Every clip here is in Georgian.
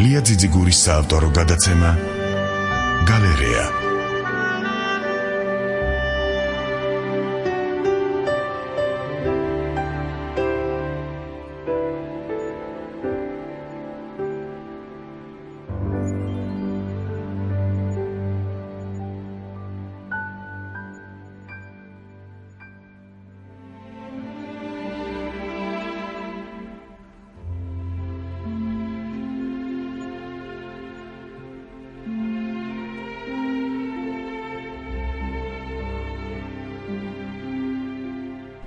ლია ძიძიგურის საავტორო გადაცემა გალერეა.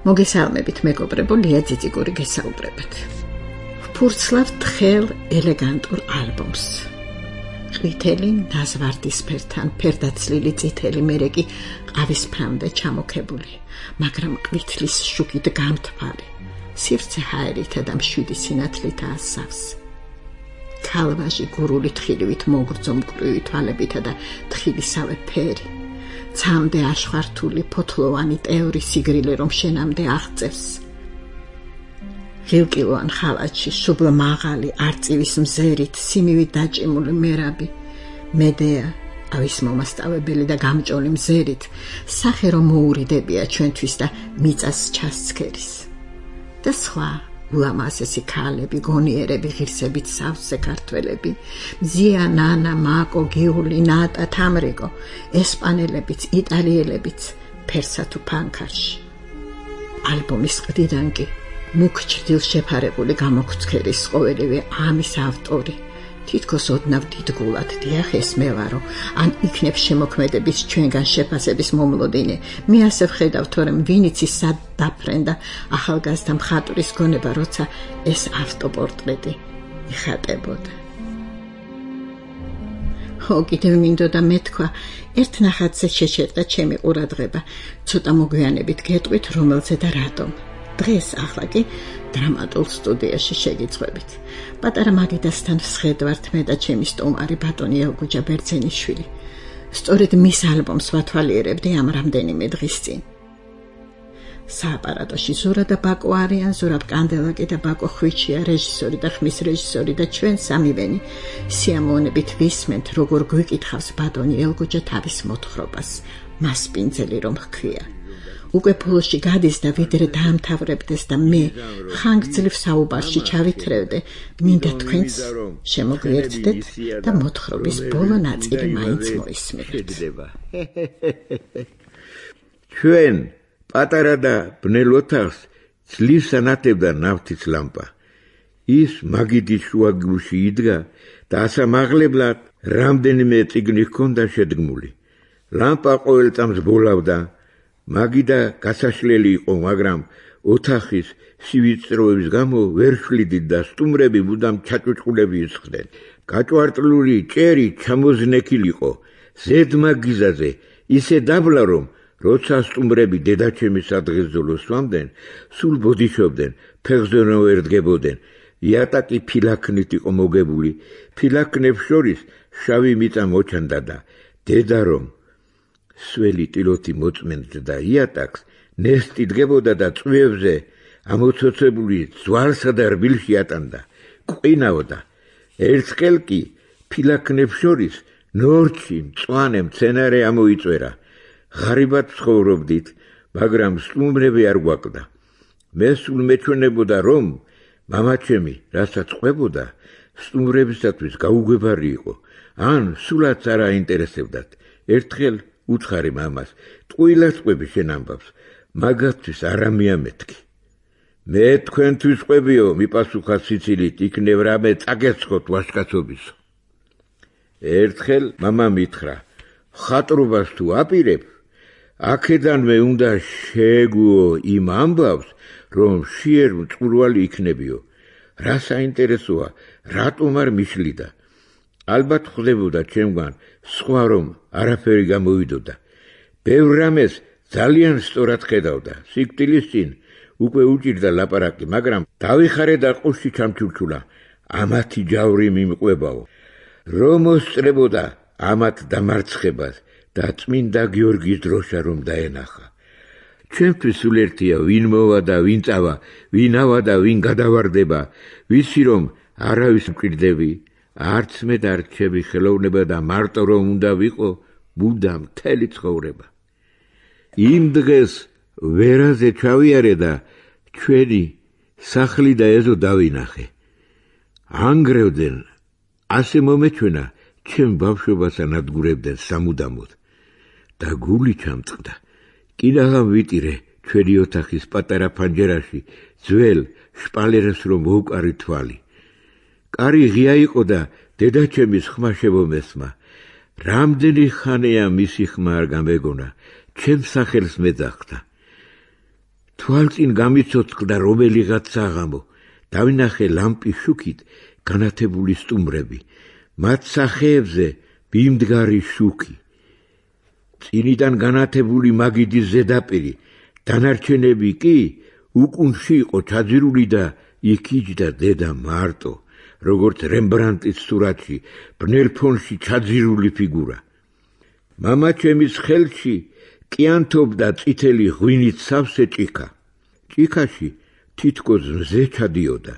მოგესალმებით მეგობრებო, ლია ძიძიგური გესაუბრებათ. ვფურცლავ თხელ ელეგანტურ ალბომს. ყვითელი ნაზვარდისფერთან, ფერდაცლილი წითელი მერეკი ყავისფრამდე ჩამოქებული, მაგრამ ყვითლის შუქით გამთბარი, სივრცე ჰაერითა და მშვიდი სინათლითაა სავს. ქალვაჟი გურული თხილივით მოგრძო მკვრივი თვალებითა და თხილისავე ფერი. ცამდე აშხვართული ფოთლოვანი ტეორი სიგრილე რომ შენამდე აღწევს. ღილკილოვან ხალათში შუბლ მაღალი არწივის მზერით სიმივით დაჭიმული მერაბი, მედეა, ავის მომასწავებელი და გამჭოლი მზერით, სახე რომ მოურიდებია ჩვენთვის და მიწას ჩასცქერის. და სხვა ულამაზესი ქალები, გონიერები, ღირსებით სავსე ქართველები, მზია, ნანა, მაკო, გიული, ნატა, თამრიკო, ესპანელებიც, იტალიელებიც, ფერსა თუ ფანქარში. ალბომის ყდიდან კი მუქ ჩრდილ შეფარებული გამოგცქერის ყოველივე ამის ავტორი, თითქოს ოდნავ დიდგულად დიახ ეს მე ვარო, ან იქნებ შემოქმედების ჩვენგან შეფასების მომლოდინე, მე ასე ვხედავ, თორემ ვინიც ის სად დაფრენდა ახალგაზრდა მხატვრის გონება, როცა ეს ავტოპორტრეტი იხატებოდა. კიდევ მინდოდა მეთქვა, ერთ ნახატზე შეჩერდა ჩემი ყურადღება, ცოტა მოგვიანებით გეტყვით რომელზე და რატომ. დღეს ახლა კი დრამატულ სტუდიაში შეგიძღვებით. პატარა მაგიდასთან ვსხედვართ მე და ჩემი სტუმარი ბატონი ელგუჯა ბერძენიშვილი. სწორედ მის ალბომს ვათვალიერებდი ამ რამდენიმე დღის წინ. სააპარატოში ზურა და ბაკო არიან, ზურაბ კანდელაკი და ბაკო ხვიჩია, რეჟისორი და ხმის რეჟისორი და ჩვენ სამივენი სიამოვნებით ვისმენთ, როგორ გვიკითხავს ბატონი ელგუჯა თავის მოთხრობას, მას პინძელი რომ ჰქვია. უკვე ფულში გადის და ვიდრე დაამთავრებდეს და მე ხანგრძლივ საუბარში ჩავითრევდე, მინდა თქვენს შემოგვიერთდეთ და მოთხრობის ბოლო ნაწილი მაინც მოისმინეთ. ჩვენ პატარა და ბნელ ოთახს ძლივს ანათებდა ნავთის ლამპა. ის მაგიდის შუაგულში იდგა და ასამაღლებლად რამდენიმე წიგნი ჰქონდა შედგმული. ლამპა ყოველ წამს ბოლავდა. მაგიდა გასაშლელი იყო, მაგრამ ოთახის სივიწროების გამო ვერ შლიდით და სტუმრები მუდამ ჩაჭუჭყულები ისხდნენ. გაჭვარტლული ჭერი ჩამოზნექილიყო, ზედმაგიზაზე ისე დაბლა რომ როცა სტუმრები დედაჩემის სადღესდელოს სვამდნენ, სულ ბოდიშობდნენ, ფეხზეო ვერ დგებოდნენ. იატაკი ფილაქნით იყო მოგებული, ფილაქნებს შორის შავი მიწა მოჩანდა და დედა რომ სველი ტილოთი მოწმენდა და იატაკს ნესტი დგებოდა და წვევზე ამოცოცებული ძვალსა და რბილში ატანდა, ყვინავდა. ერთხელ კი ფილაქნებს შორის ნორჩი მწვანე მცენარე ამოიწვერა. ღარიბად ცხოვრობდით, მაგრამ სტუმრები არ გვაკლდა. მე სულ მეჩვენებოდა რომ მამაჩემი რასაც ყვებოდა, სტუმრებისათვის გაუგვებარი იყო, ან სულაც არ აინტერესებდათ. ერთხელ უცხარი მამას, ტყუილად ყვები შენ ამბავს, მაგათთვის არ ამიამეთქი. მე თქვენთვის ყვებიო, მიპასუხა სიცილით, იქნებ რამე წაგეცხოთ ვაჟკაცობისო. ერთხელ მამა მითხრა, ხატრობას თუ აპირებ, აქედანვე უნდა შეგუო იმ ამბავს, რომ შიერ მწყურვალი იქნებიო. რა საინტერესოა, რატომ არ მიშლიდა? ალბათ ხდებოდა ჩემგან სხვა რომ არაფერი გამოვიდოდა. ბევრ რამეს ძალიან სწორად ხედავდა. სიკვდილის წინ უკვე უჭირდა ლაპარაკი, მაგრამ დავიხარე და ყოში ჩამჩურჩულა. ამათი ჯავრი მიმყვებაო. რომ მოსწრებოდა ამათ დამარცხებას და წმინდა გიორგის დროშა რომ დაენახა. ჩვენთვის სულ ერთია ვინ მოვა და ვინ წავა, ვინ ავა და ვინ გადავარდება, ვიცი რომ არავის მკვირდები, არც მე დარჩები ხელოვნება და მარტო რომ უნდა ვიყო მუდამ მთელი ცხოვრება. იმ დღეს ვერაზე ჩავიარე და ჩვენი სახლი და ეზო დავინახე. ანგრევდნენ, ასე მომეჩვენა, ჩემ ბავშვობას ანადგურებდნენ სამუდამოდ. და გული ჩამწყდა. კიდაღამ ვიტირე ჩვენი ოთახის პატარა ფანჯერაში ძველ შპალერებს რომ მოვკარი თვალი. კარი ღია იყო და დედაჩემის ხმა შემომესმა. რამდენი ხანია მისი ხმა არ გამეგონა, ჩემ სახელს მეძახდა. თვალწინ გამიცოცხლდა რომელიღაც საღამო. დავინახე ლამპის შუქით განათებული სტუმრები. მათ სახეებზე ბიმდგარი შუქი. წინიდან განათებული მაგიდის ზედაპირი, დანარჩენები კი უკუნში იყო ჩაძირული და იქ იჯდა დედა მარტო, როგორც რემბრანდტის სურათში, ბნელ ფონში ჩაძირული ფიგურა. მამაჩემის ხელში კიანთობდა წითელი ღვინით სავსე ჭიქა. ჭიქაში თითქოს მზე ჩადიოდა,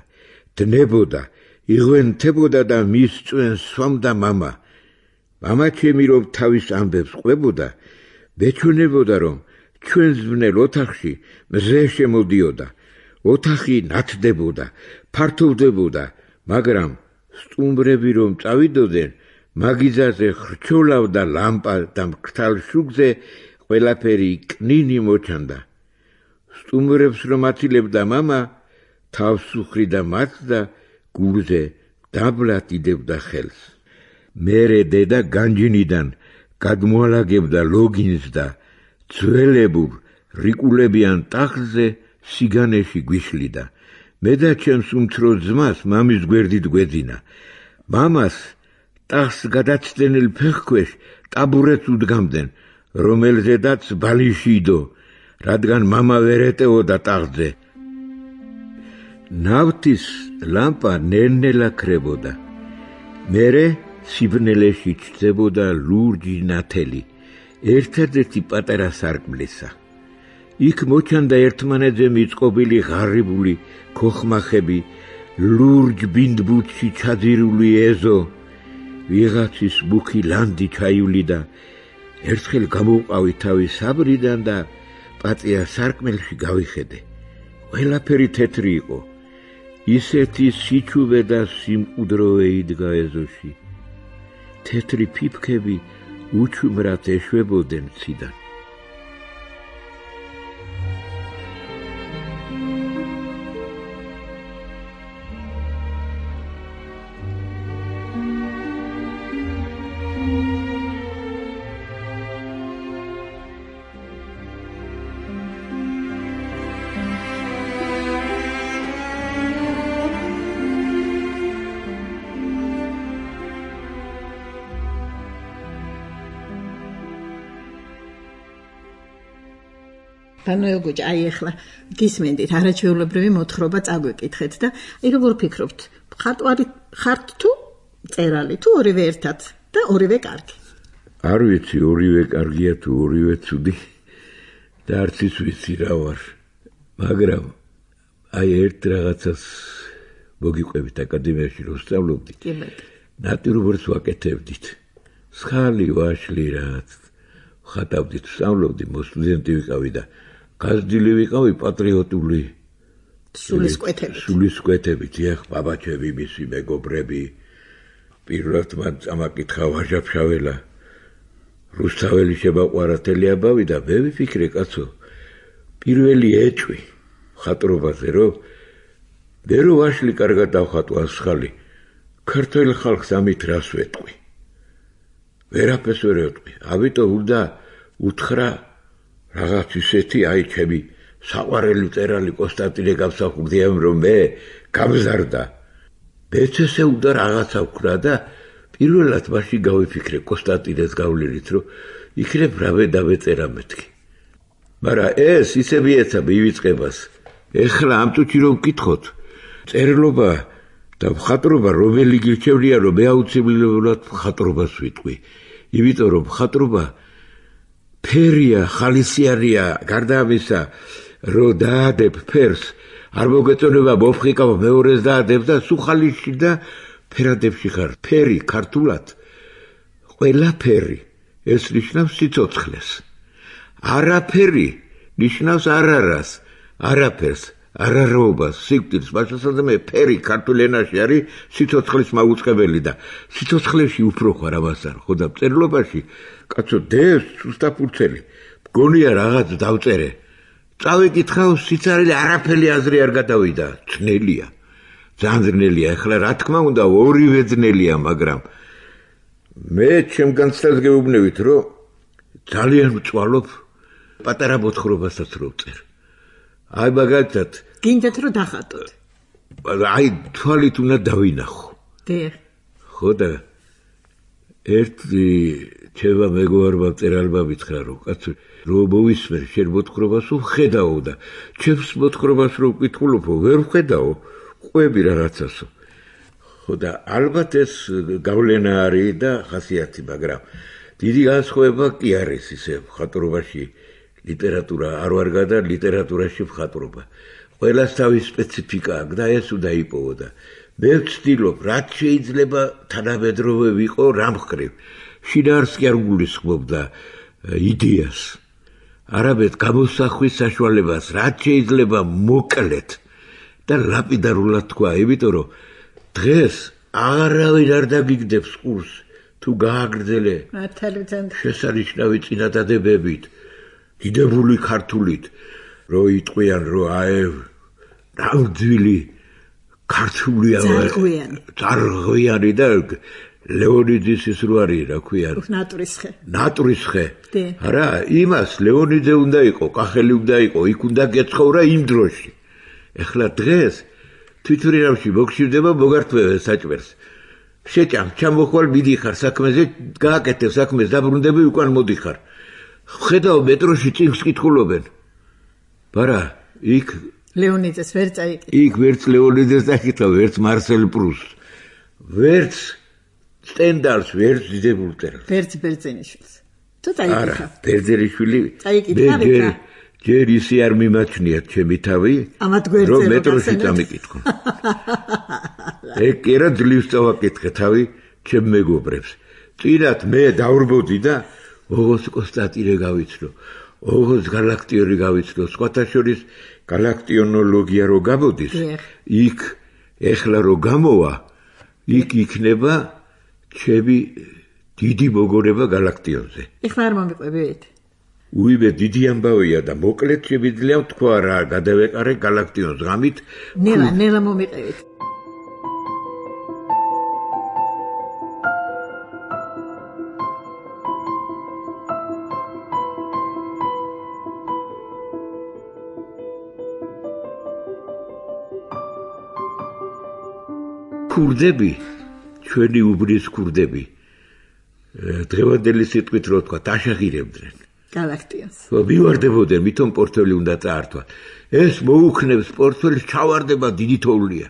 დნებოდა, იღვენთებოდა და მის წვენს სვამდა მამა. მამაჩემი რომ თავის ამბებს ყვებოდა, მეჩვენებოდა რომ ჩვენს ბნელ ოთახში მზე შემოდიოდა. ოთახი ნათდებოდა, ფართოვდებოდა, მაგრამ სტუმრები რომ წავიდოდნენ, მაგიძაზე ხრჩოლავდა ლამპა და მკრთალ შუქზე ყველაფერი კნინი მოჩანდა. სტუმრებს რომ აცილებდა მამა, თავს უხრიდა მათ და გულზე დაბლად იდებდა ხელს. მერე დედა განჯინიდან გადმოალაგებდა ლოგინს და ძველებურ რიკულებიან ტახტზე სიგანეში გვიშლიდა. მე და ჩემს უმცრო ძმას მამის გვერდით გვეძინა. მამას ტახტს გადაცდენილ ფეხქვეშ ტაბურეტს უდგამდნენ, რომელზედაც ბალიში იდო, რადგან მამა ვერ ეტეოდა ტახტზე. ნავთის ლამპა ნელ-ნელა ქრებოდა. მერე სიბნელეში ჩნდებოდა ლურჯი ნათელი, ერთადერთი პატარა სარკმლისა. იქ მოჩანდა ერთმანეთზე მიწყობილი ღარიბული ქოხმახები, ლურჯ ბინდბუთში ჩაძირული ეზო, ვიღაცის მუქი ლანდი ჩაივლიდა. ერთხელ გამოვყავი თავი საბრიდან და პატია სარკმელში გავიხედე. ყველაფერი თეთრი იყო. ისეთი სიჩუვე და სიმყუდროვე იდგა ეზოში. თეთრი ფიფქები უჩუმრად ეშვებოდნენ ციდან. ბანოელ გოჯა, აი ახლა გისმენდით არაჩვეულებრივი მოთხრობა წაგვეკითხეთ და აი როგორ ფიქრობთ, მხატვარი ხართ თუ წერალი თუ ორივე ერთად და ორივე კარგი? არ ვიცი, ორივე კარგია თუ ორივე ცუდი და არც ის ვიცი რა ვარ, მაგრამ აი ერთ რაღაცას მოგიყვებით აკადემიაში რომ სწავლობდით. ნატურმორტს ვაკეთებდით. სხალი ვაშლი რაც ხატავდით, სწავლობდი, მოსტუდენტი ვიყავი და გაზრდილი ვიყავი პატრიოტული სულისკვეთებით. ეხ ბაბაჩები, მისი მეგობრები, პირველად მან წამაკითხა ვაჟა-ფშაველა, რუსთაველი შემაყვარა თელიაბავი და მე ვიფიქრე, კაცო, პირველი ეჭვი ხატრობაზე, რომ მე რო ვაშლი კარგად დავხატო ასხალი, ქართველ ხალხს ამით რას ვეტყვი? ვერაფერს ვერ ეტყვი. ამიტომ უნდა უთხრა რაღაც ისეთი, აი ჩემი საყვარელი მწერალი კონსტანტინე გამსახურდიამ, რომ მე გამზარდა. მეც ესე უნდა რაღაცა ვქნა და პირველად მაშინ გავიფიქრე კონსტანტინეს გავლენით, რომ იქნებ რავე დავეწერა მეთქი. მაგრამ ეს ისე მიეცა მივიწყებას. ეხლა ამ წუთში რომ ვკითხოთ, წერლობა და მხატვრობა რომელი გირჩევნია, რომ მე აუცილებლად მხატვრობას ვიტყვი. იმიტომ რომ მხატვრობა ფერია, ხალისიანია, გარდა ამისა, რომ დაადებ ფერს, არ მოგეწონება მოფხიკავ მეორეს დაადებ და სულ ხალიში და ფერადებში ხარ, ფერი ქართულად ყველაფერი ეს ნიშნავს სიცოცხლეს. არაფერი ნიშნავს არარას, არაფერს, არაროობას, სიკვდილს, მაშასადამე მე ფერი ქართულ ენაში არის სიცოცხლის მაუწყებელი და სიცოცხლეში უფრო ხარ ამას არ ხო და წერლობაში კაცო დევს სუსტაფურცელი მგონია რაღაც დავწერე წავიკითხავ სიცარიელი არაფერი აზრი არ გადავიდა ძნელია ძალიან ძნელია ეხლა რა თქმა უნდა ორივე ძნელია მაგრამ მე ჩემ განცდას გეუბნებით რომ ძალიან ვწვალობ პატარა მოთხრობასაც რო ვწერ აი მაგალითად გინდათ რომ დახატოთ აი თვალით უნდა დავინახო დიახ ხო და ერთი ჩემმა მეგობარმა წერალმა მითხრა რომ კაცო რომ მოვისმენ შენ მოთხრობას ვხედაო და ჩემს მოთხრობას რო ვკითხულობო ვერ ვხედაო ყვები რაღაცასო ხო და ალბათ ეს გავლენა არის და ხასიათი მაგრამ დიდი განსხვავება კი არის ისე მხატვრობაში ლიტერატურა არ ვარ გადა ლიტერატურაში მხატვრობა ყველას თავის სპეციფიკა აქვს და ეს უნდა იპოვო და მე ვცდილობ რაც შეიძლება თანამედროვე ვიყო რა მხრივ შინაარსს კი არ გულისხმობდა იდეას არამედ გამოსახვის საშუალებას რაც შეიძლება მოკლედ და ლაპიდარულად თქვა იმიტომ რომ დღეს არავინ არ დაგიგდებს ყურს თუ გააგრძელე შესანიშნავი წინადადებებით დიდებული ქართულით რო იტყვიან რომ აი რამძვილი ქართულია ძარღვიანი და ლეონიდის ის რო არის რა ქვია ნატურისხე არა იმას ლეონიდე უნდა იყო კახელი უნდა იყო იქ უნდა გეცხოვრა იმ დროში ეხლა დღეს თვითურინავში მოგშივდება მოგართმევენ საჭმელს შეჭამ ჩამოხვალ მიდიხარ საქმეზე გააკეთე საქმეს დაბრუნდები უკან მოდიხარ ხედავ მეტროში წიგნს კითხულობენ ბარა იქ ლეონიდეს ვერ წაიკითხა იქ ვერც ლეონიდეს დაკითხა ვერც მარსელ პრუსტს ვერც სტენდალს ვერც დიდებულ წერილს ვერც ბერძენიშვილს თუ წაიკითხა არა ბერძენიშვილი წაიკითხა ჯერ ისე არ მიმაჩნიათ ჩემი თავი რომ მეტროში წამიკითხო ეგ კი რა ძლივს წავაკითხე თავი ჩემ მეგობრებს წინათ მე დავრბოდი და ოღონდ კონსტანტინე გავიცნო ოღონდ გალაქტიონი გავიცნო სხვათა შორის გალაქტიონოლოგია რო გამოდის იქ ეხლა რო გამოვა იქ იქნება ჩემი დიდი მოგონება გალაქტიონზე ეხლა არ მომიყვებით უიმე დიდი ამბავია და მოკლედ შემიძლია თქვა რა გადავეყარე გალაქტიონს ღამით ნელა მომიყევით ქურდები ჩვენი უბრის ქურდები დღევანდელი სიტყვით რო თქვა დაშაღირებდნენ გალაქტიონს მივარდებოდნენ მithom პორტფელი უნდა წაართვა ეს მოუქნებს პორტფელს ჩავარდება დიდი თოვლია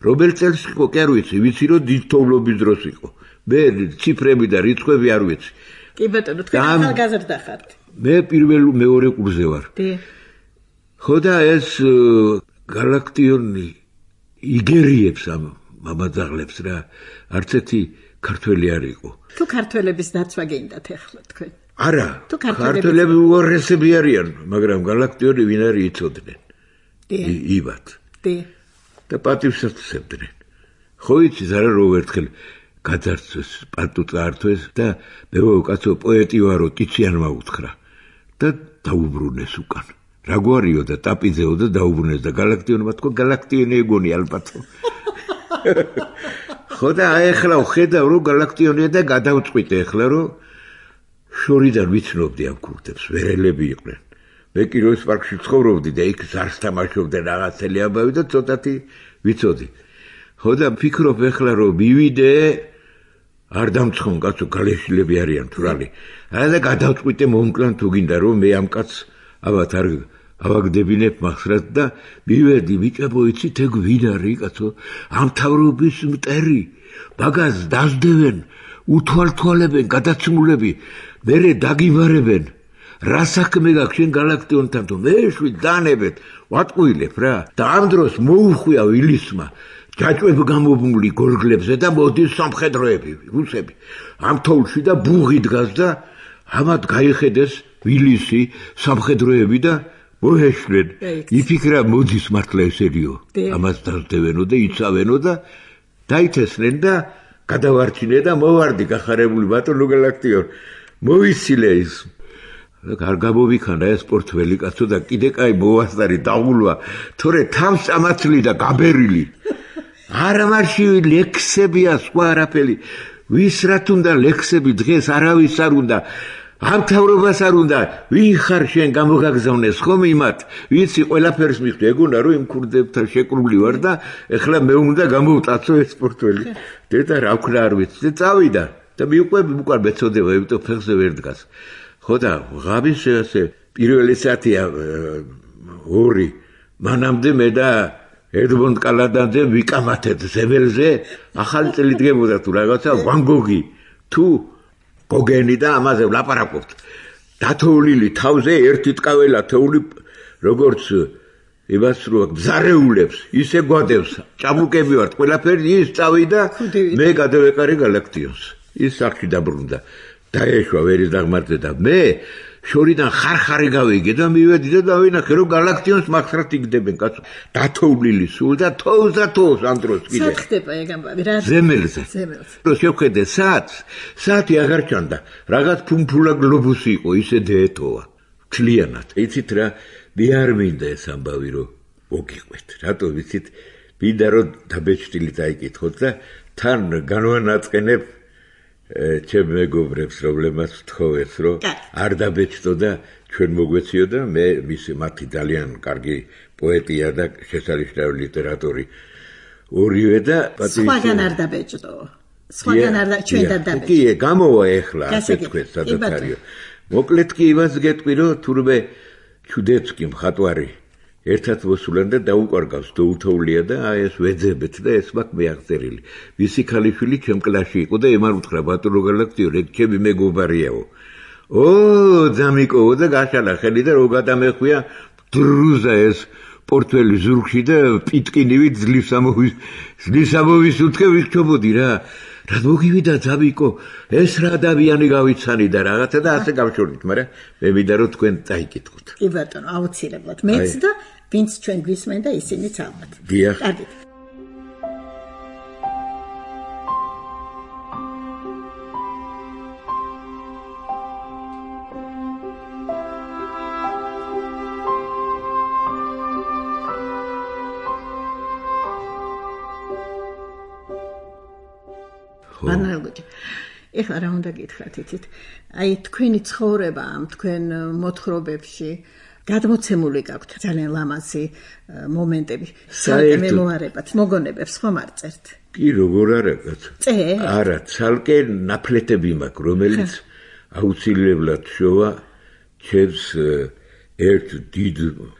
რომელ წელს იყო კი არ ვიცი რომ დიდი თოვლობის დროს იყო მე ციფრები და რიცხვები არ ვიცი კი ბატონო თქვენ ახალგაზრდა ხართ მე მეორე კურსზე ვარ ხო და ეს გალაქტიონი იგერიებს ამ მამაძაღლებს რა არც ერთი ქართველი არ იყო თუ ქართველების დაცვა გინდათ ახლა თქვენ არა ქართველები უარესები არიან მაგრამ გალაქტიონი ვინ არის იცოდნენ იბათ და პატივსაც უსებდნენ ხო იცის არა რომ ერთხელ გაძარცვეს პატუ წაართვეს და მე ვაკაცო პოეტი ვარო ტიციანმა უთხრა და დაუბრუნეს უკან რა გვარიო და ტაპიძეო და დაუბრუნეს და გალაქტიონმა თქვა გალაქტიონი ეგონი ალბათო ხო და ახლა ვხედავ რომ გალაქტიონია და გადავწყვიტე ახლა რომ შორიდან ვიცნობდი ამ ქურდებს ვერელები იყვნენ მე კი როის პარკში ცხოვრობდი და იქ ზარს თამაშობდი რაღაცელი ამბავი და ცოტათი ვიცოდი ხო და ვფიქრობ ახლა რომ მივიდე არ დამცხონ კაცო გალეშილები არიან თურალი არა და გადავწყვიტე მომკლან თუ გინდა რომ მე ამ კაცს ალბათ არ ავაგდებინებ მახსრად და მივედი ბიჭებო იცით ეგ ვინ არის კაცო ამ თავრობის მტერი ბაგაზს დასდევენ უთვალთვალებენ გადაცმულები მერე დაგიბარებენ რა საქმე გაქვს შენ გალაქტიონთან თუ მე შვიდ დანებეთ ვატყუილებ რა და ამ დროს მოუხვია ვილისმა ჯაჭვებ გამობმული გორგლებზე და მოდის სამხედროები, რუსები. ამ თოვლში და ბუღი დგას და ამათ გაიხედეს ვილისი სამხედროები და მოეშლენ. იფიქრა მოდის მართლა ესერიო. ამას დასდევენო და იცავენო და დაითესნენ და გადავარჩინე და მოვარდი გახარებული ბატონო გალაქტიონ. მოვიცილე ის. არ გამოვიქანა ეს პორტფელი კაცო და კიდე კაი მოვასწარი დაღულვა, თორე თავს წამაცლი და გაბერილი. არა მარში ლექსებია სხვა არაფერი. ვის რა თუნდა ლექსები დღეს არავის არ უნდა. ამ თავრობას არ უნდა. ვინ ხარ შენ გამოგაგზავნეს ხომ იმათ? ვიცი ყველაფერს მიხვდი. ეგონა რომ იმ ქურდებთან შეკრული ვარ და ეხლა მე უნდა გამოვტაცო ეს პორტფელი. დედა რა ვქნა არ ვიცი და წავიდა და მიუყვები უკან მეწოდება, იმიტომ ფეხზე ვერ დგას. ხო და ღამის ესე პირველი საათია 2 მანამდე მე და ედმონდ კალადანძე ვიკამათეთ ზეველზე ახალი წელი დგებოდა თუ რაღაცა ვან გოგი თუ გოგენი და ამაზე ვლაპარაკობთ. დათოვლილი თავზე ერთი ტკაველა თოვლი როგორც იმას რო გზარეულებს ისე გვადევს. ჭაბუკები ვართ ყველაფერი ის წავიდა მე გადავეყარე გალაქტიონს. ის სახში დაბრუნდა. დაეშვა ვერის დაღმართზე და მე შორიდან ხარხარი გავიგე და მივედი და დავინახე რომ გალაქტიონს მახსრად იგდებენ კაცო. დათოვლილი სულ და თოვს ამ დროს კიდე. სად ხდება ეგ ამბავი რა? ზემელზე. რო შევხედე საათი აღარ ჩანდა. რაღაც ფუმფულა გლობუსი იყო ისე დეეთოა. მთლიანად. იცით რა მე არ მინდა ეს ამბავი რომ მოგიყვეთ. რატო ვიცით? მინდა რომ დაბეჭდილი დაიკითხოთ და თან განვანაწყენებ ჩემ მეგობრებს პრობლემას ვთხოვეთ რომ არ დაბეჭდო და ჩვენ მოგვეციო და მე მათი ძალიან კარგი პოეტია და შესანიშნავი ლიტერატორი ორივე და სხვაგან არ დაბეჭდო. სხვაგან არ ჩვენ დაბეჭდო. კი, გამოვა ეხლა ასე თქვენ სადაც არისო. მოკლედ კი იმას გეტყვი რომ თურმე ჩუდეცკი მხატვარი ერთად მოსულან და დაუყარგავს დოუთოვლია და აი ეს ვეძებეთ და ეს მაქვს მეაღწერილი. ვისი ქალიშვილი ჩემ კლასში იყო და ემარ უთხრა ბატონო გალაქტიო ეგ ჩემი მეგობარიაო. ძამიკოო და გაშალა ხელი და რო გადამეხვია დრუზა ეს პორტფელი ზურგში და პიტკინივით ძლივს ამოვის უთქე ვიქჩობოდი რა. რა მოგივიდა ძამიკო ეს რა ადამიანი გავიცანი და რაღაცა და ასე გავშორდით, მაგრამ მე მინდა რომ თქვენ დაიკითხოთ. კი ბატონო, აუცილებლად. მეც და ვინც ჩვენ გვისმენ და ისინიც ალბათ. დიახ. კარგით. ბანალგოჯი. ეხლა რა უნდა გითხრათ იცით? აი თქვენი ცხოვრება ამ თქვენ მოთხრობებში გადმოცემული გაქვთ ძალიან ლამაზი მომენტები. ცალკე მემუარებად, მოგონებებს ხომ არ წერთ? კი, როგორ არა კაცო. არა, ცალკე ნაფლეტები მაქვს, რომელიც აუცილებლად შოვა ჩემს ერთ დიდ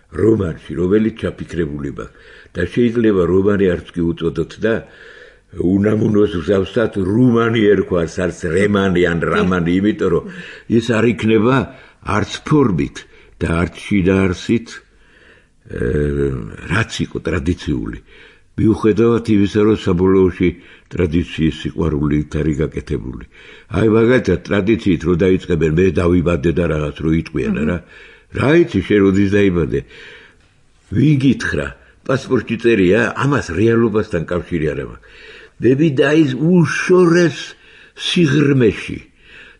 რომანში, რომელიც ჩაფიქრებული მაქვს. და შეიძლება რომანი არც კი უწოდოთ და უნამუნოს ვსავსად რუმანი ერქვას, არც რემანი ან რამანი, იმიტომ რომ ის არ იქნება არც ფორმით და არც შინაარსით რაც იყო ტრადიციული. მიუხედავად იმისა, რომ საბოლოოში ტრადიციის სიყვარული არის გაკეთებული. აი მაგალითად ტრადიციით რო დაიწყებენ მე დავიბადე და რაღაც რო იტყვიან რა. რა იცი შენ როდის დაიბადე? ვინ გითხრა? პასპორტში წერია, ამას რეალობასთან კავშირი არ აქვს. მე ვიდაის უშორეს სიღრმეში.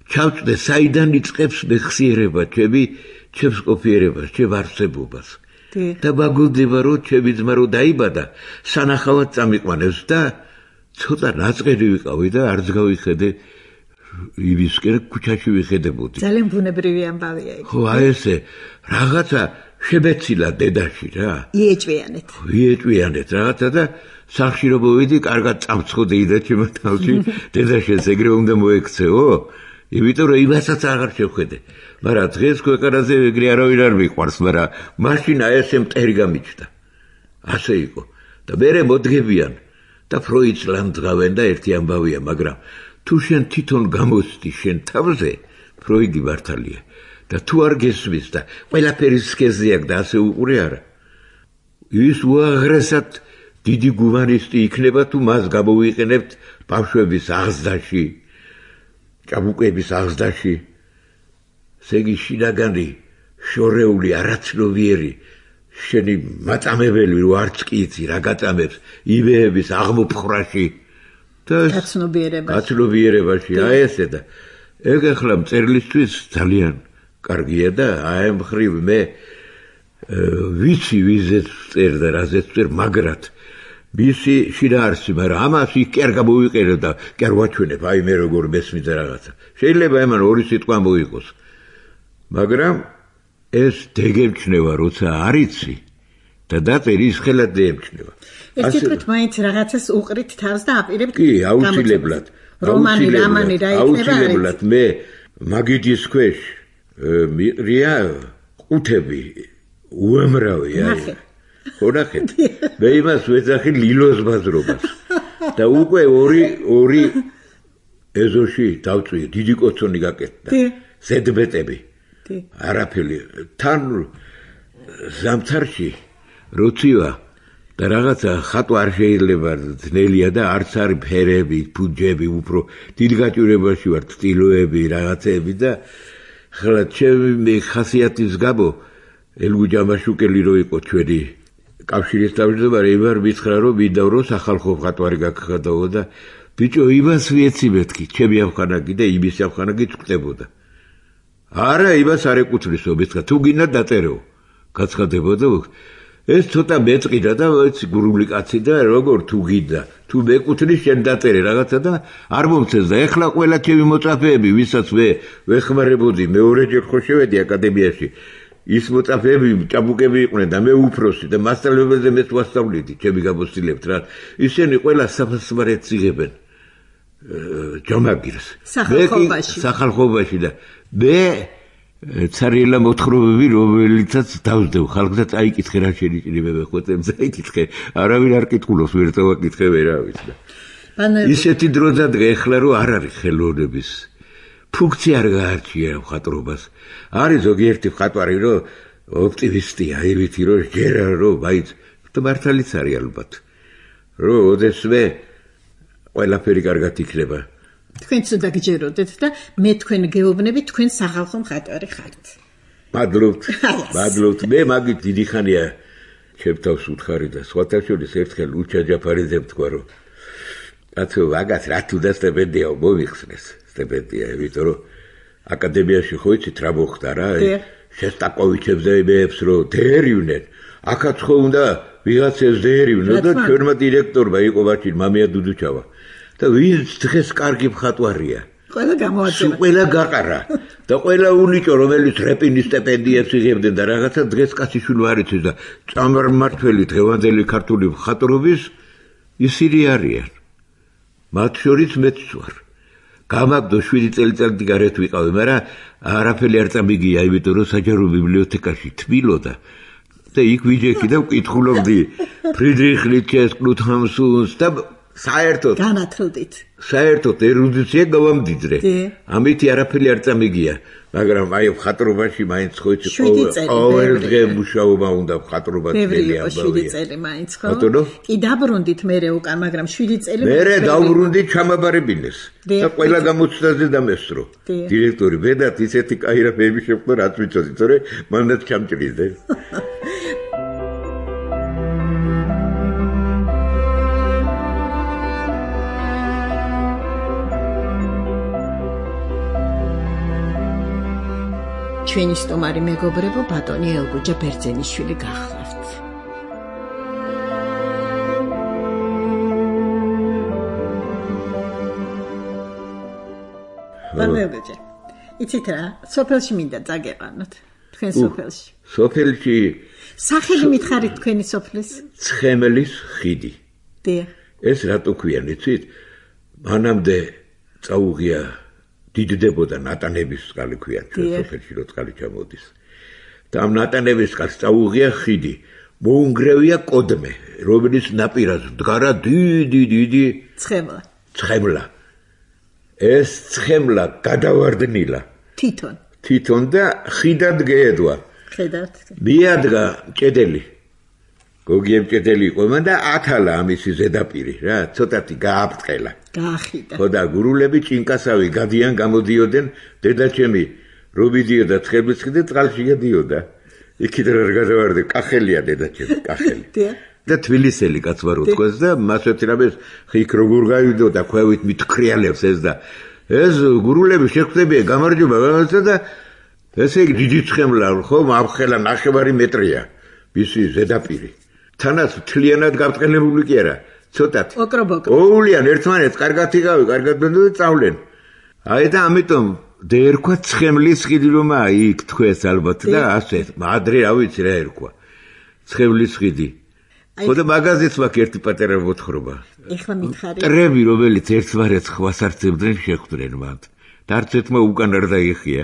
ჩავწდე საიდან იწყებს მეხსიერება ჩემს ყოფიერებას, ჩემ არსებობას. და მაგოდება რომ ჩემი ძმა რო დაიბადა, სანახავად წამიყვანეს და ცოტა ნაწყედი ვიყავი და არც გავიხედე იმისკენ ქუჩაში ვიხედებოდი. ძალიან ბუნებრივი ამბავია ეგ. ხო, აი ესე რაღაცა შემეცილა დედაში რა. იეჭვიანეთ რაღაცა და სახში რო მოვიდი, კარგად წამცხოდეი და ჩემო თავში დედაშენს ეგრე უნდა მოექცეო? იმიტომ რომ იმასაც აღარ შევხედე. მაგრამ დღეს ქვეყანაზე ეგრე არავინ არ მიყვარს, მაგრამ მაშინ აი ესე მტერი გამიჩნდა. ასე იყო. და მერე მოდგებიან და ფროიდს ლამძღავენ და ერთი ამბავია, მაგრამ თუ შენ თვითონ გამოსდი შენ თავზე, ფროიდი მართალია. და თუ არ გესმის და ყველაფერი სქესზე აქვს და ასე უყურე არა. ის უაღრესად დიდი გუმანისტი იქნება თუ მას გამოვიყენებთ ბავშვების აღზრდაში, ჭაბუკების აღზრდაში. სეგი შინაგანი, შორეული, არაცნობიერი, შენი მაწამებელი რო არც კი იცი რა გაწამებს იბეების აღმოფხრაში და გაცნობიერებაში აი ესე და ეგ ახლა მწერლისთვის ძალიან კარგია და აი ამ ხრივ მე ვიცი ვიზეთ წერ და რაზეც წერ მაგრად მისი შინაარსი მაგრამ ამას იქ კი არ გამოვიყენებ და კი არ ვაჩვენებ აი მე როგორ მესმის რაღაცა შეიძლება ამან ორი სიტყვა მოიყოს მაგრამ ეს დეგემჩნევა როცა არიცი და დაწერის ხელად დეგემჩნევა ეს თვითონ მაინც რაღაცას უყრით თავს და აპირებთ კი აუცილებლად რომანი რამანი რა იქნება აუცილებლად მე მაგიდის ქვეშ მიყრია ყუთები უამრავი აი ხონახეთ მე იმას ვეძახი ლილოს ბაზრობას და უკვე ორი ეზოში დავწვი დიდი კოცონი გაკეთდა ზედბეტები არაფერი თან ზამთარში როცივა და რაღაცა ხატვა არ შეიძლება ძნელია და არც არის ფერები, ფუძები, უფრო დიდ გაჭირებაში ვარ სტილოები, რაღაცები და ხლა ჩემი ხასიათის გამო ელგუჯამაშუკელი რო იყო ჩვენი კავშირის თავმჯდომარე იმარ მითხრა რომ მინდა რომ სახალხო ხატვარი გაგხადაო და ბიჭო იმას ვიეცი მეთქი ჩემი ამხანაგი და იმის ამხანაგი წვდებოდა არა იმას არ ეკუთვნისო მითხრა თუ გინდა დაწერო გაცხადებოდა ეს ცოტა მეწყიდა და ვიცი გურული კაცი და როგორ თუ გინდა თუ მეკუთვნის შენ დაწერე რაღაცა და არ მომწეს და ეხლა ყველა ჩემი მოწაფეები ვისაც ვეხმარებოდი მეორეჯერ ხო შევედი აკადემიაში ის მოწაფეები ჭაბუკები იყვნენ და მე უფროსი და მასწავლებელზე მეც ვასწავლიდი ჩემი გამოცდილებთ რა ისინი ყველა საფასმარეთს იღებენ ჯამაგირს სახალხობაში და მე ცარიელა მოთხრობები რომელიცაც დავსდევ ხალხს და წაიკითხე რა შენიშნებები ხოთემ წაიკითხე არავინ არ კითხულობს ვერ წავაკითხე ვერავის და ისეთი დრო დადგა ეხლა რომ არ არის ხელოვნების ფუნქცია არ გაარჩია მხატვრობას არის ზოგიერთი მხატვარი რომ ოპტიმისტია აივითი რომ ჯერა რომ მაინც მართალიც არის ალბათ რომ ოდესმე ყველაფერი კარგად იქნება თქვენ ცუდა გჯეროდეთ და მე თქვენ გეუბნები თქვენ სახალხო მხატვარი ხართ. მადლობთ. მე მაგით დიდი ხანია ჩემთავს უთხარი და სხვათა შორის ერთხელ უჩა ჯაფარიძემ თქვა რომ კაცო ვაგას რა თუ და სტიპენდია მომიხსნეს. სტიპენდია, იმიტომ რომ აკადემიაში ხო იცით რა მოხდა რა? შესტაკოვიჩებზე იმებს რომ დერივნენ. აქაც ხო უნდა ვიღაცას დერივნო და ჩვენმა დირექტორმა იყო ვაჭი მამია დუდუჩავა. და ვინც დღეს კარგი მხატვარია. ყველა გამოაჩენა. ყველა გაყარა. და ყველა უნიჭო რომელიც რეპინის სტიპენდიებს იღებდნენ და რაღაცა დღეს კაციშვილი არ იცის და წამართველი დღევანდელი ქართული მხატვრობის ისინი არიან. მათ შორის მეც ვარ. გამაგდო 7 წელიწადი გარეთ ვიყავი, მაგრამ არაფერი არ წამიგია, იმიტომ რომ საჯარო ბიბლიოთეკაში თბილოდა. და იქ ვიჯექი და ვკითხულობდი ფრიდრიხ ნიცშეს, კნუთ ჰამსუნს და საერთოდ განათლდით. საერთოდ ერუდიცია გავამდიდრე. ამით არაფერი არ წამიგია, მაგრამ აი მხატვრობაში მაინც ხო იცი ყოველ დღე მუშაობა უნდა მხატვრობა ძნელი ამბავია. 7 წელი მაინც ხო? კი დაბრუნდით მერე უკან, მაგრამ 7 წელი მერე დავბრუნდი ჩამაბარებინეს და ყველა გამოცდაზე დამესწრო. დირექტორი ბედათ ისეთი კაირაფები შეხვდა რაც ვიცოდი, თორე მანდაც ჩამჭრიდე. ჩვენი სტომარი მეგობრებო ბატონი ელგუჯა ბერძენიშვილი გახლავთ. ბატონელგუჯა, იცით რა, სოფელში მინდა წაგეყანოთ, თქვენ სოფელში. სოფელში სახელი მითხარით თქვენი სოფლის? ცხემლის ხიდი. დიახ. ეს რატო ქვიან, იცით? მანამდე წაუღია დიდდებოდა ნატანების წყალი ქვია ჩვენ სოფელში რო წყალი ჩამოდის და ამ ნატანების წყალს წაუღია ხიდი მოუნგრევია კოდმე რომელიც ნაპირას მდგარა დიდი ცხემლა ეს ცხემლა გადავარდნილა თვითონ და ხიდად გეედვა მიადგა ჭედელი გოგი ემჭედელი იყო მან და ათალა ამისი ზედაპირი რა, ცოტათი გააფრთხელა. გაახიდა. ხო და გურულები ჭინკასავი გადიან გამოდიოდნენ, დედაჩემი რობიდიოდა ცხებლიცხი წყალში გადიოდა. იქით რა გადავარდე, კახელია დედაჩემი, კახელი. და თბილისელი კაც ვარ უთქვეს და მას ვეთრაბეს ხიქ როგორ გავიდოდა ქვევით მithქრიალებს ეს და ეს გურულები შეხვდებიან გამარჯობა რაღაცა და ესე იგი დიდი ცხემლა ხო მაფხელა ნახევარი მეტრია მისი ზედაპირი თანაც თლიანად გაბრწყელებული კი არა ცოტათი ოულიან ერთმანეთს კარგად იღავი კარგად ბენდო წავლენ აი და ამიტომ დაერქვა ცხემლის ხიდი რომ იქ თქვეს ალბათ და ასე ადრე რა ვიცი რა ერქვა ცხემლის ხიდი ხოდა მაგაზეც მაქვს ერთი პატარა მოთხრობა. ეხლა მითხარი. ტრები რომელიც ერთმანეთს ხვას არცებდნენ შეხვდნენ მათ. და არც ერთმა უკან არ დაიხია.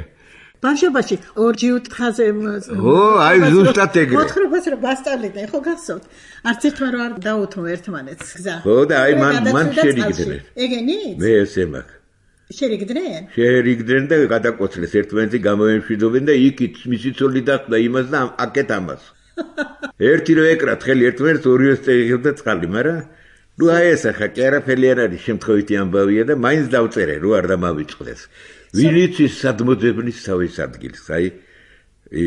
ბავშვობაში ორჯი უთხაზე ო, აი ზუსტად ეგრე. მოთხრობას რა გასწავლდნენ, ხო გახსოვთ? არც ერთმა რა არ დაუთმო ერთმანეთს გზა. ხო და აი მან შერიგდნენ. ეგენი? მე ესე მაქვს. შერიგდნენ? შერიგდნენ და გადაკვოცლეს ერთმანეთი გამოემშვიდობენ და იქით მისი ცოლი დახვდა იმას და აკეთ ამას. ერთი რო ეკრათ ხელი ერთმანეთს ორივეს წეღებდა წყალი, მაგრამ ნუ აი ეს ახლა კი არაფერი არ არის შემთხვევითი ამბავია და მაინც დავწერე რო არ დამავიწყდეს. ვინც ის სადმოძებნის თავის ადგილს, აი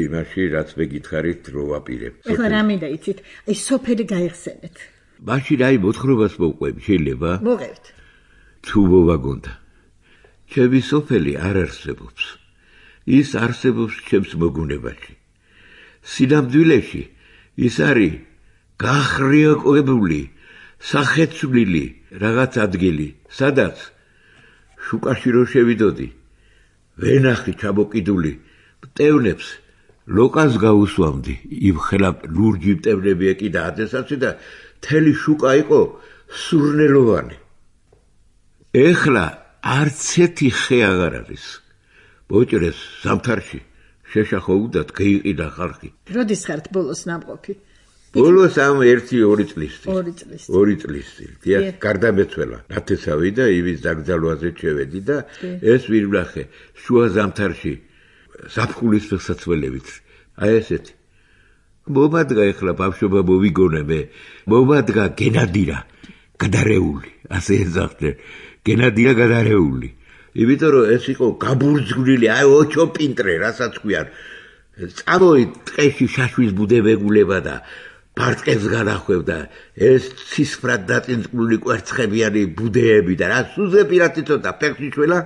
იმაში რაც მე გითხარით რო ვაპირებ. ეხლა რა მინდა იცით? აი სოფელი გაიხსენეთ. მაშინ აი მოთხრობას მოვყვები, შეიძლება? მოგევთ. თუ მოვაგონდა. ჩემი სოფელი არ არსებობს. ის არსებობს ჩემს მოგუნებაში. სინამდვილეში ის არის გახრიოკებული სახეცვლილი რაღაც ადგილი, სადაც შუკაში რო შევიდოდი, ვენახი ჩამოკიდული მტევნებს ლოკას გაუსვამდი, იმ ხელა ლურჯი მტევნები ეკიდა ადრესაცი და თელი შუკა იყო სურნელოვანი. ეხლა არც ერთი ხე აღარ არის. მოჭრეს ზამთარში შეშახო უდათ გაიყიდა ხალხი. როდის ხართ ბოლოს ნამყოფი? ბოლოს ამ 1-2 წლის. 2 წლის. 2 წლის. დიახ, გარდამეცველა. ნათესავი და ივის დაგძალვაზე შევედი და ეს ვირვლახე შუა ზამთარში ზაფხულის ფეხსაცმელებით. აი ესეთი. მომადგა ეხლა ბავშვობა მოვიგონე მე. მომადგა გენადირა გადარეული. ასე ეძახდნენ. გენადირა გადარეული. იმიტომ რომ ეს იყო გაბურძგვლილი, აი ოჩო პინტრე, რასაც ქვიან. წამოით ტყეში შაშვის ბუდე ვეგულება და ბარტყებს განახვევდა. ეს ცისფრად დაწინწკლული კვერცხებიანი ბუდეები და რა სუზე პირათი ცოტა ფეხში შველა,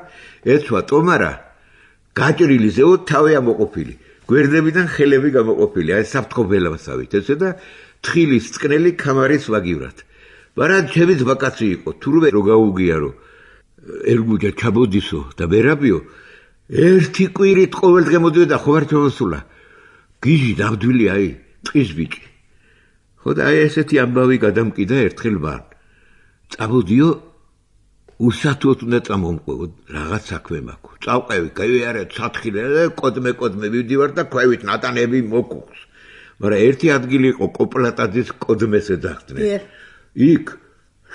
ეცვა ტომარა, გაჭრილი ზეო თავი ამოყოფილი. გვერდებიდან ხელები გამოყოფილი, აი საფრთხობელავსავით, ესე და თხილის წყნელი ქამარის ვაგივრად. მაგრამ ჩემი ძვაკაცი იყო, თურმე რო გაუგია რომ ერგუჯა ჩაბოდისო და ვერაბიო ერთი კვირით ყოველდღე მოდიოდა ხო არ ჩავასულა გიჟი დავდვილი აი ტყის ბიჭი ხო და აი ესეთი ამბავი გადამკიდა ერთხელ მან წამოდიო უსათუოდ უნდა წამომყვევო რაღაც საქმე მაქვს წავყევი გაიარე სათხილე კოდმე ვიდივარ და ქვევით ნატანები მოკუხს მაგრამ ერთი ადგილი იყო კოპლატაძის კოდმეს ეძახდნენ იქ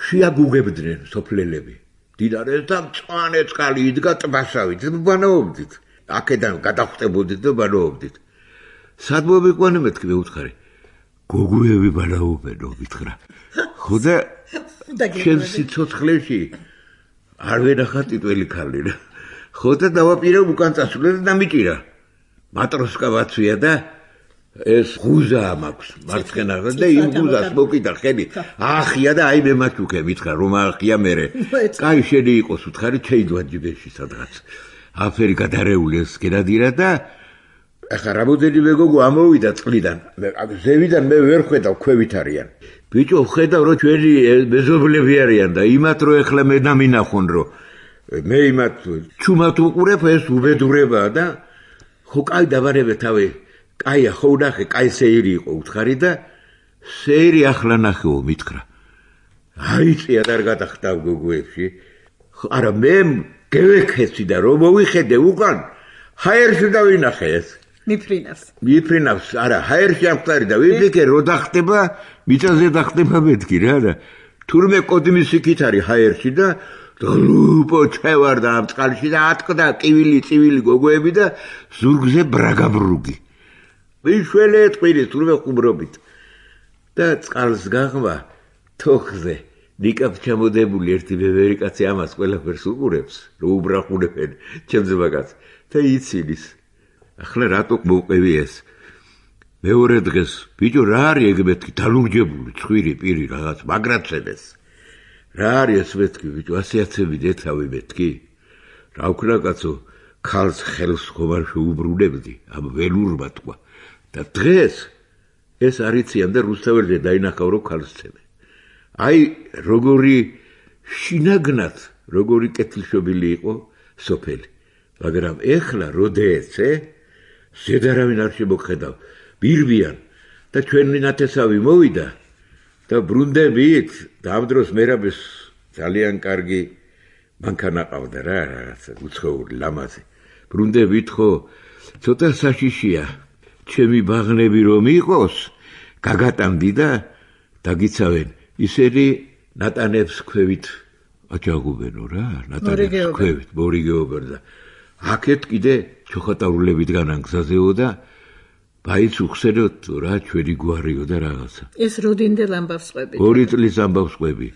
შეაგუგებდნენ სოფლელები დიდარეს და მწვანე წყალი იდგა ტბასავით, ბანაობდით. აქედან გადახვდებოდით და ბანაობდით. სად მოვიყვანე მეთქი მე უთხარი. გოგუები ბანაობენო მითხრა. ხო და ჩემ სიცოცხლეში არ ვენახა ტიტველი ქალი რა. ხო და დავაპირე უკან წასვლე და დამიჭირა. მატროსკა ვაცვია და ეს ღუზა მაქვს მარცხენა და იმ ღუზას მოკიდა ხელი ახია და აი მე მაჩუქე მითხრა რომ ახია მერე კაი შენი იყოს უთხარი ჩეიდვა ჯიბეში სადღაც აფერი გადარეული ეს გენადირა და ახლა რამოდენიმე გოგო ამოვიდა წყლიდან ზევიდან მე ვერ ხედავ ქვევით არიან ბიჭო ხედავ რომ ჩვენი მეზობლები არიან და იმათ რომ ახლა მე დამინახონ რომ მე იმათ ჩუმად უყურებ ეს უბედურებაა და ხო კაი დავარებე თავი კაია ხო ნახე, კაი სეირი იყო უთხარი და სეირი ახლა ნახეო მითხრა. აიწია და არ გადახტავ გოგოებში. არა მე გევექეცი და რომ მოვიხედე უკან ჰაერში დავინახე ეს. მიფრინავს, არა, ჰაერში ამხტარი და ვიფიქრე რომ დახტება, მიწაზე დახტება მეთქი რა და თურმე კოდმის იქით არის ჰაერში და ლუპო ჩევარ და ამ წყალში და ატყდა ტივილი, წივილი გოგოები და ზურგზე ბრაგაბრუგი. ვიშველე ტყვირის თურმე ხუმრობით. და წყალს გაღმა თოხზე ნიკაპ ჩამოდებული ერთი ბევრი კაცი ამას ყველაფერს უყურებს, რომ უბრახუნებენ ჩემს მაგას და იცინის. ახლა რატო მოვყევი ეს? მეორე დღეს ბიჭო რა არის ეგ მეთქი დალურჯებული ცხვირი პირი რაღაც მაგრაცებს. რა არის ეს მეთქი ბიჭო 100 დეთავი მეთქი? რა ვქნა კაცო ქალს ხელს ხომ არ შეუბრუნებდი ამ ველურმა თქვა და დღეს ეს არიციან და რუსთაველზე დაინახავ რომ ქალს ცემენ. აი როგორი შინაგნად როგორი კეთილშობილი იყო სოფელი. მაგრამ ეხლა როდეცე ზედარავინ არ შემოხედავ ბირბიან და ჩვენი ნათესავი მოვიდა და ბრუნდებით და ამ დროს მერაბეს ძალიან კარგი მანქანა ყავდა რა რაღაცა უცხოური ლამაზი. ბრუნდებით ხო ცოტა საშიშია ჩემი ბაღნები რომ იყოს გაგატანდი და დაგიცავენ ისინი ნატანებს ქვევით აჯაგუბენო რა ნატანებს ქვევით მორიგეობენ და აქეთ კიდე ჩოხატარულებით განანგზაზეო და ბაიც უხსენოთ რა ჩვენი გვარიო და რაღაცა. ეს როდინდელ ამბავს ყვები? 2 წლის ამბავს ყვები.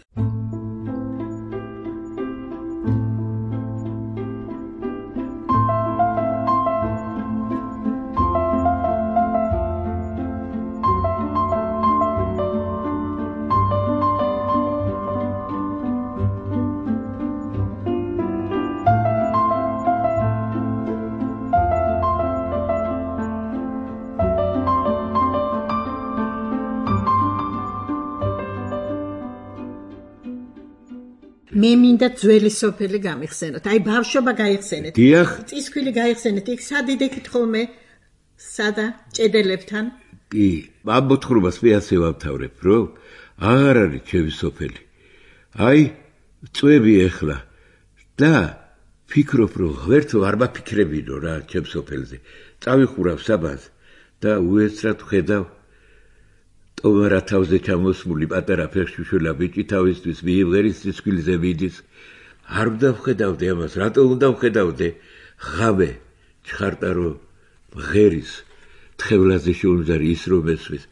მე მინდა ძველი სოფელი გამიხსენოთ. აი ბავშვობა გაიხსენეთ. დიახ. წისქვილი გაიხსენეთ. იქ სად იდექით ხოლმე? სადა ჭედელებთან? კი, ამ მოთხრობას მე ასე ვამთავრებ, რომ აღარ არის ჩემი სოფელი. აი, წვევი ეხლა და ფიქრობ, რომ ღერთო არ მაფიქრებინო რა ჩემ სოფელზე. წავიხურავ საბანს და უეცრად ვხედავ ტომარა თავზე ჩამოსმული პატარა ფეხშუშულა ბიჭი თავისთვის მიიღერის წისქვილზე მიდის. არ უნდა ვხედავდე ამას, რატო უნდა ვხედავდე? ღამე ჩხარტა რომ მღერის თხევლაზე შეუნზარი ის რომ ესვის.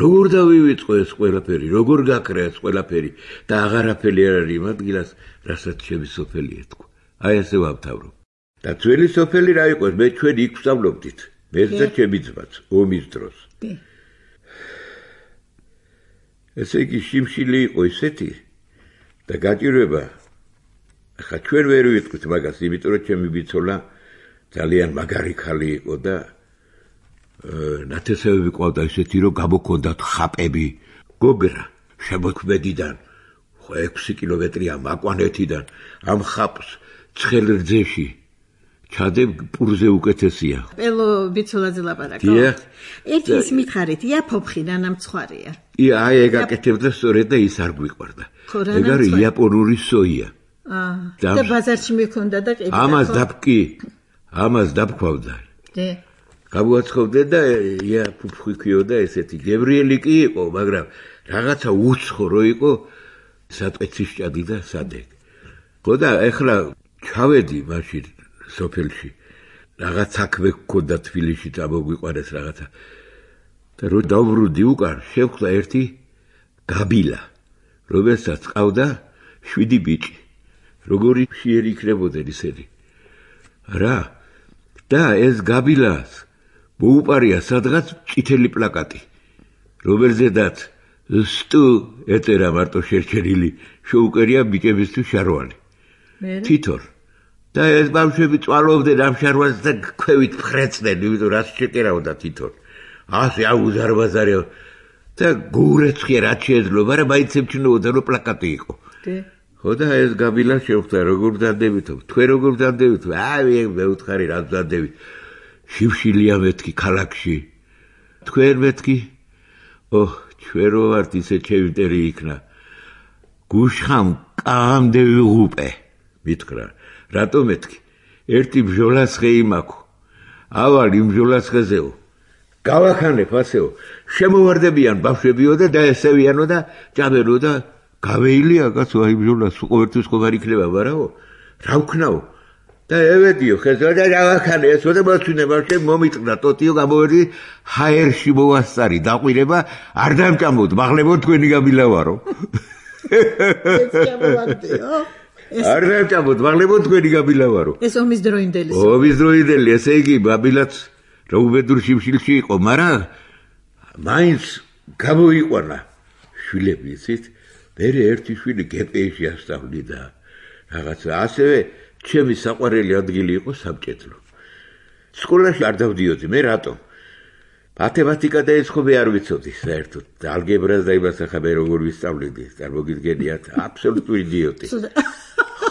როგორ დავივიწყო ეს ყველაფერი, როგორ გაქრა ეს ყველაფერი და აღარაფერი არ არის იმ ადგილას, რასაც ჩემი სოფელი ეთქვა. აი ასე ვამთავრობ. და ძველი სოფელი რა იყო? მე ჩვენ იქ ვსწავლობდით. მე და ჩემი ძმაც ომის დროს. ესე იგი შიმშილი იყო ისეთი და გაჭირვება ახლა ჩვენ ვერ ვიტყვით მაგას, იმიტომ რომ ჩემი ბიცოლა ძალიან მაგარი ქალი იყო და ნათესავები ყავდა ისეთი რომ გამოქონდათ ხაპები გოგრა შემოქმედიდან 6 კილომეტრია მაკვანეთიდან ამ ხაპს ცხელ რძეში ჩადებ პურზე უკეთესია. პელო ბიცოლაძე ლაპარაკო. ერთი ის მითხარით, ია ფოფხიდან ამ ცხარია. აი ეგ აკეთებდა სწორედ და ის არ გვიყვარდა. ეგ არის იაპონური სოია. და ბაზარში მიქონდა და ყიდი. ამას დაბქვავდა. დე. გამოაცხოვდა და ია ფუფხი ქიოდა ესეთი. გებრიელი კი იყო, მაგრამ რაღაცა უცხო რო იყო, საწეცი სჭადი და სადე. ხო და ეხლა ჩავედი მაშინ სოფელში. რაღაც საქმე გქონდა თბილისში და მოგვიყვანეს რაღაცა. და რო დავბრუნდი უკან, შევხვდა ერთი გაბილა, რომელსაც ყავდა 7 ბიჭი. როგორი ფიერი იქნებოდნენ ისინი. რა? და ეს გაბილას მოუპარია სადღაც წითელი პლაკატი, რომელზედაც სტუ ეწერა მარტო შერჩენილი, შეუკერია ბიჭებისთვის შარვალი. თითორ. და ეს ბავშვები წვალობდნენ ამ შარვალს და ქვევით ფრეწდნენ, იმიტომ რაც შეკერავდა თითორ. ასე აუზარბაზარია და გურეცხია რაც შეეძლო, მაგრამ მაინც ემჩნეოდა რომ პლაკატი იყო. ხო და ეს გაბილა შევხვდა როგორ ვდანდებითო, თქვენ როგორ ვდანდებითო? აი მე ვუთხარი რა ვდანდებით. შიმშილია მეთქი ქალაქში. თქვენ მეთქი? ოჰ, ჩვენ რო ვართ ისე ჩემიტერი იქნა. გუშხამ კამდე ვიღუპე. მითხრა, რატო მეთქი? ერთი ბჟოლასხე იმაქო. ავალ იმ ბჟოლასხეზეო. გავახანებ ასეო. შემოვარდებიან ბავშვებიო და დაესევიანო და ჭამენო და გავეილია კაცო აი ბჟოლას ყოველთვის ხომ არ იქნება, მარაო? რა ვქნაო? და ევედიო ხესა და რავაქანე ესო და მოწინება შენ მომიტყდა ტოტიო გამოვედი ჰაერში მოვასწარი დაყვირება არ დამჭამოთ მაღლებო თქვენი გამილავარო ეს გამოვარდიო არ დამჭამოთ მაღლებო თქვენი გამილავარო ეს ომის დროინდელი ომის დროინდელი ესე იგი ბაბილაც რაუბედურ შიმშილში იყო მაგრამ მაინც გამოიყვანა შვილები იცით მე ერთი შვილი გპ-ში ასწავლიდა რაღაცა ასევე ჩემი საყვარელი ადგილი იყო საბჭეთლო. სკოლაში არ დავდიოდი, მე რატომ? მათემატიკა და ეს ხომ არ ვიცოდი საერთოდ. ალგებრას და იმას ახლა მე როგორ ვისწავლედი, წარმოგიდგენიათ, აბსოლუტური იდიოტი.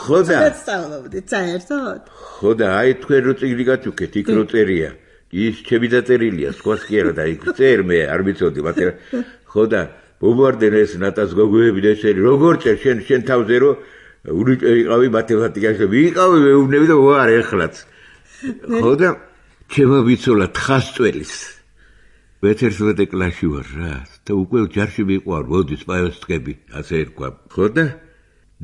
ხო და სწავლობდი საერთოდ? ხო და აი თქვენ რო წიგნი გაჩუქეთ, იქ რო წერია. ის ჩემი დაწერილია, სხვას კი არა და იქ წერ მე არ ვიცოდი მათემატიკა. ხო და მომვარდნენ ეს ნატას გოგოები და ესენი როგორ წერ შენ თავზე რო ვიყავი მათემატიკაში ვიყავი მეუბნები და ვარ ეხლაც ხო და ჩემო ვიცოლა თხასწველის მე-11 კლასში ვარ რა და უკვე ჯარში ვიყავ მოდის პაევსკები ასე ერქვა ხო და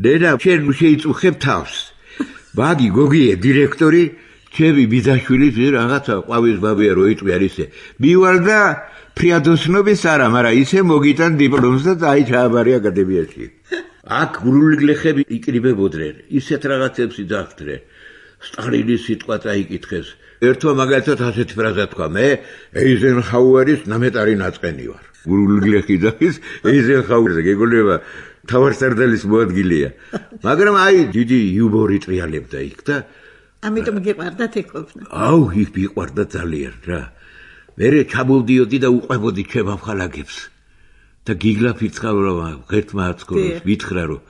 ნენა შენ შეიწუხებ თავს ბაგი გოგიე დირექტორი ჩემი ბიძაშვილი რაღაცა ყვავის ბაბია რო იწვი არ ისე მივალ და ფრიადოსნობის არა მაგრამ ისე მოგიტან დიპლომს და აი ჩააბარე აკადემიაში აქ გრული გლეხები იკრიბებოდნენ, ისეთ რაღაცებს იძახდნენ. სტალინის სიტყვა წაიკითხეს. ერთმა მაგალითად ასეთი ფრაზა თქვა, მე ეიზენჰაუერის ნამეტარი ნაწყენი ვარ. გრული გლეხი ძახის ეიზენჰაუერზე გეგონება თავარსარდალის მოადგილეა. მაგრამ აი დიდი იუმორი ტრიალებდა იქ და ამიტომ გიყვარდათ ეგ ყოფნა. აუ, იქ მიყვარდა ძალიან რა. მე ჩამოვდიოდი და უყვებოდი ჩემ ამხალაგებს. და გიგლა ფიცხავრობა ღერთმა აცქოროს ვითხრა რომ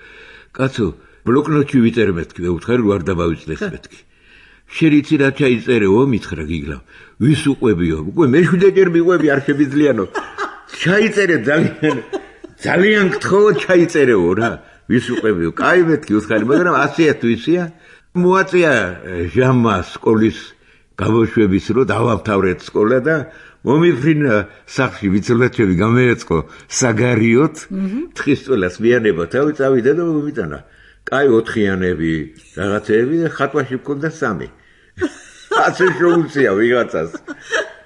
კაცო ბლოკნოტში ვიწერე მეთქი ვეუთხარ არ დავავიწყდეს მეთქი შერიცი რა ჩაიწერეო მითხრა გიგლა ვის უყვებიო უკვე მე 7 ჯერ მიყვები არ შემიძლიანო ჩაიწერე ძალიან გთხოვო ჩაიწერეო რა ვის უყვებიო კაი მეთქი უთხარი მაგრამ 100 თუ ისია მოაწია ჟამმა სკოლის გამოშვების რო დავამთავრეთ სკოლა და მომიფრინა სახში ვიცოლაჩები გამეეწყო საგარიოთ თხისწველას მიანება თავი წავიდა და მომიტანა კაი 4-იანები რაღაცეები და ხატვაში მქონდა 3 ასე შეუძლია ვიღაცას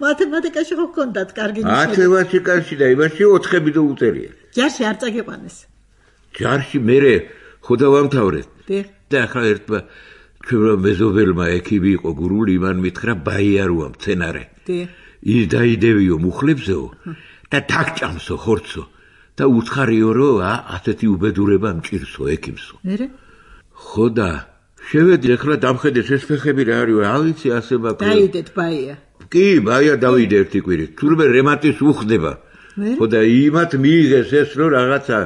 მათემატიკაში ხო გქონდათ კარგი ნიშნები მათემატიკაში და იმაში 4-ები და უწერია ჯარში არ წაგიყვანეს ჯარში მე ხო დავამთავრეთ და ახლა ერთმა ჩვენმა მეზობელმა ექიმი იყო გურული იმან მითხრა ბაიაროა მცენარე ის დაიდევიო მუხლებზეო და თაკჭამსო ხორცო და უცხარიო რომ ასეთი უბედურება მჭირსო ექიმსო მერე ხო და შევედი ახლა დამხედეს ეს ფეხები რა არის ავიცი ასე მაქვს დაიდეთ ბაია კი ბაია დავიდე ერთი კვირით თურმე რემატის უხდება ხო და იმათ მიიღეს ეს რომ რაღაცა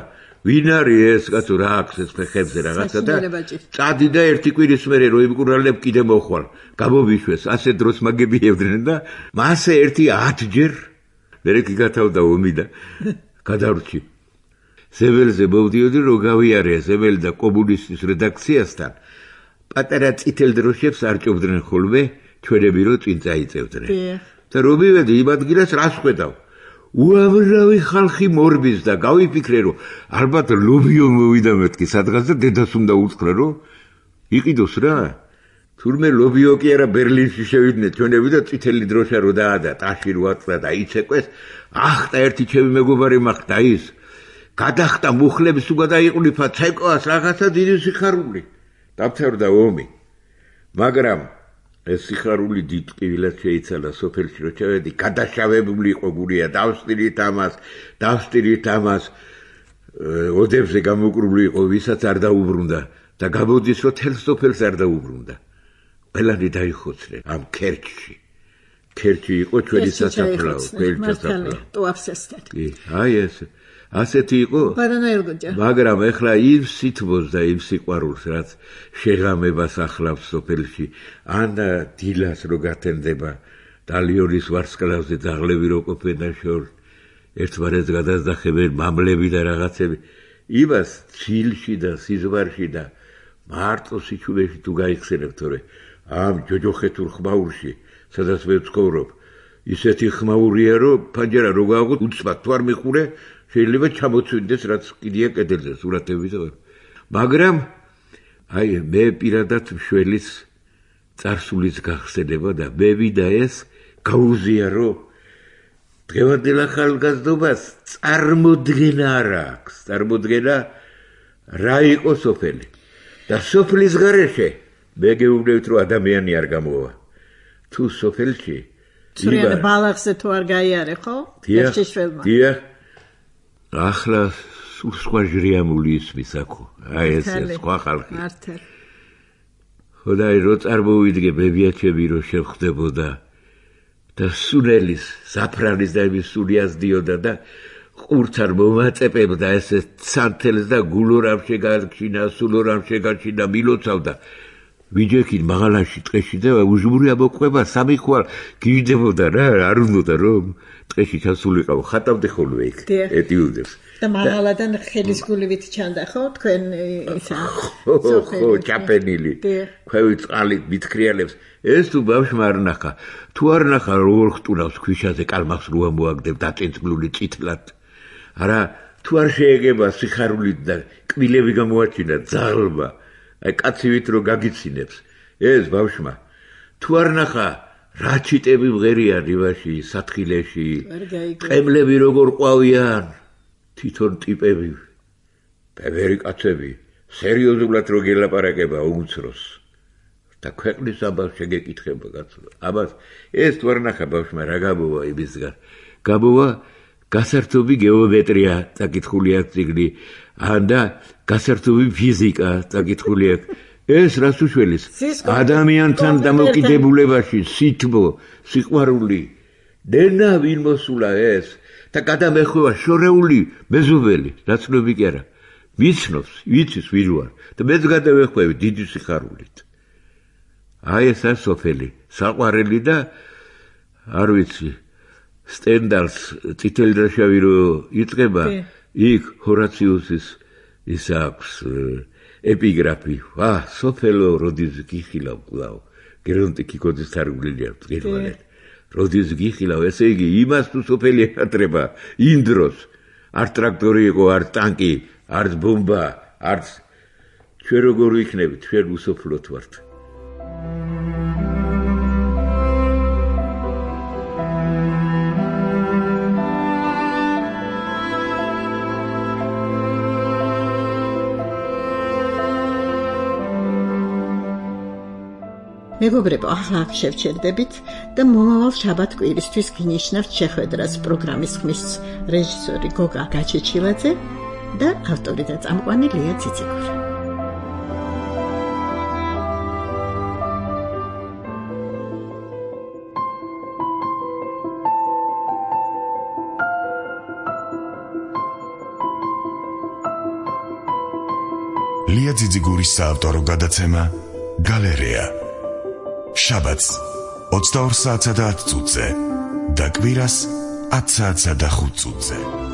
ვინ არის ეს კაცო რა აქვს ეს ფეხებზე რაღაცა და წადი და ერთი კვირის მერე რო იმკურალებ კიდე მოხვალ გამოვიშვეს ასე დროს მაგებიებდნენ და მასე ერთი 10 ჯერ მერე კი გათავდა ომი და გადავრჩი სეველზე მოვდიოდი რომ გავიარე სეველი და კომუნისტის რედაქციასთან პატარა წითელ დროშებს არჭობდნენ ხოლმე ჩვენები რო წინ წაიწევდნენ და რომ მივედი იმ ადგილას რას ხვედავ უამრავი ხალხი მორბის და გავიფიქრე რომ ალბათ ლობიო მოვიდა მეთქი სადღაც და დედას უნდა უთხრა რომ იყიდოს რა თურმე ლობიო კი არა ბერლინში შევიდნენ ჩვენები და წითელი დროშა რო დაადა ტაში რო აწდა და იცეკვეს ახტა ერთი ჩემი მეგობარი მახდა ის გადახტა მუხლებს თუ გადაიყვნიფა ცეკვას რაღაცა დიდი სიხარული დამთავრდა ომი მაგრამ ეს სიხარული დიდ ტკივილად შეიცალა სოფელში რო ჩავედი გადაშავებული იყო გურია დავსტირით ამას ოდებზე გამოკრული იყო ვისაც არ დაუბრუნდა და გამოდის რომ თელ სოფელს არ დაუბრუნდა ყველანი დაიხოცნენ ამ ქერჩში იყო ჩვენი სასაფლაო კი აი ეს ასეთი იყო მაგრამ ეხლა იმ სითბოს და იმ სიყვარულს რაც შეღამებას ახლავს სოფელში ან დილას რო გათენდება დალიონის ვარსკვლავზე ძაღლები რო ყოფენ და შორ ერთმანეთს გადასდახებენ მამლები და რაღაცები იმას ცილში და სიზვარში და მარტო სიჩუმეში თუ გაიხსენებ თორე ამ ჯოჯოხეთურ ხმაურში სადაც მე ვცხოვრობ ისეთი ხმაურია რომ ფანჯარა რო გააღოთ უცბად თუ არ მიხურე შეიძლება ჩამოცვინდეს რაც კიდია კედელზე სურათები და მაგრამ აი მე პირადად მშველის წარსულის გახსენება და მე და ეს გაუზიარო. დღევანდელ ახალგაზრდობას წარმოდგენა არ აქვს. წარმოდგენა რა იყო სოფელი. და სოფლის გარეშე მე გეუბნებით რომ ადამიანი არ გამოვა. თუ სოფელში ცრიან ბალახზე თუ არ გაიარე ხო? ერთშიშველმა. დიახ. ახლა სულ სხვა ჟრიამული ისმის აქო. აი ეს სხვა ხალხი. მართლა. ხოდაი რო წარმოვიდგე ბებიაჩები რო შევხვდებოდა და სუნელის, საფრანის და იმის სული ასდიოდა და ყურც არ მომაწეპებდა ესე სანთელს და გულო რამ შეგარჩინა, სულო რამ შეგარჩინა, მილოცავდა. ვიჯექით მაღალაში ტყეში და უჟმური ამოყვება სამი ხვალ გიждდებოდა რა, არ უნდა რომ ტყეში ჩასულიყავ, ხატავდე ხოლმე იქ ეტიუდებს. და მაღალადან ხელის გულივით ჩანდა ხო თქვენ ისა ხო ჩაპენილი ქვევით წყალით მithქრიალებს ეს თუ ბავშვმა არ ნახა თუ არ ნახა როგორ ხტუნავს ქვიშაზე კალმახს რო ამოაგდებ დაწინწკლული წითლად არა თუ არ შეეგება სიხარულით და კბილები გამოაჩინა ძალმა აი კაცივით რო გაგიცინებს ეს ბავშვმა თუ არ ნახა რა ჩიტები მღერია რივაში სათხილეში ყემლები როგორ ყვავიან თვითონ ტიპები, ბევრი კაცები, სერიოზულად რო გელაპარაკება უმცროს. და ქვეყნის ამბავს შეგეკითხება კაცო. ამას ეს თუ არ ნახა ბავშვმა რა გამოვა იმისგან. გამოვა გასართობი გეომეტრია წაკითხული აქვს წიგნი, ან და გასართობი ფიზიკა წაკითხული აქვს. ეს რას უშველის? ადამიანთან დამოკიდებულებაში სითბო, სიყვარული, დენა ვინ მოსულა ეს? და გადამეხვევა შორეული მეზობელი, ნაცნობი კი არა. ვიცნობს, ვიცის ვინ ვარ და მეც გადავეხვევი დიდი სიხარულით. აი ეს სოფელი, საყვარელი და არ ვიცი, სტენდალს წითელი და შავი რო იწყება, იქ ჰორაციუსის ის აქვს ეპიგრაფი. სოფელო როდის გიხილავ კვლავ. გერონტი კიკოძის თარგმნილია დღევანდელ. როდის გიხილავ, ესე იგი იმას თუ სოფელი ეხატრება იმ დროს არ ტრაქტორი იყო, არ ტანკი, არც ბომბა, არც ჩვენ როგორ ვიქნებით, ჩვენ უსოფლოთ ვართ. მეგობრებო, ახლა აქ შევჩერდებით და მომავალ შაბათ-კვირისთვის გინიშნავთ შეხვედრას პროგრამის ხმის რეჟისორი გოგა გაჩეჩილაძე და ავტორი და წამყვანი ლია ციციკური. ლია ციციკურის საავტორო გადაცემა გალერეა. შაბათს 22 საათსა და 10 წუთზე და კვირას 10 საათსა და 5 წუთზე.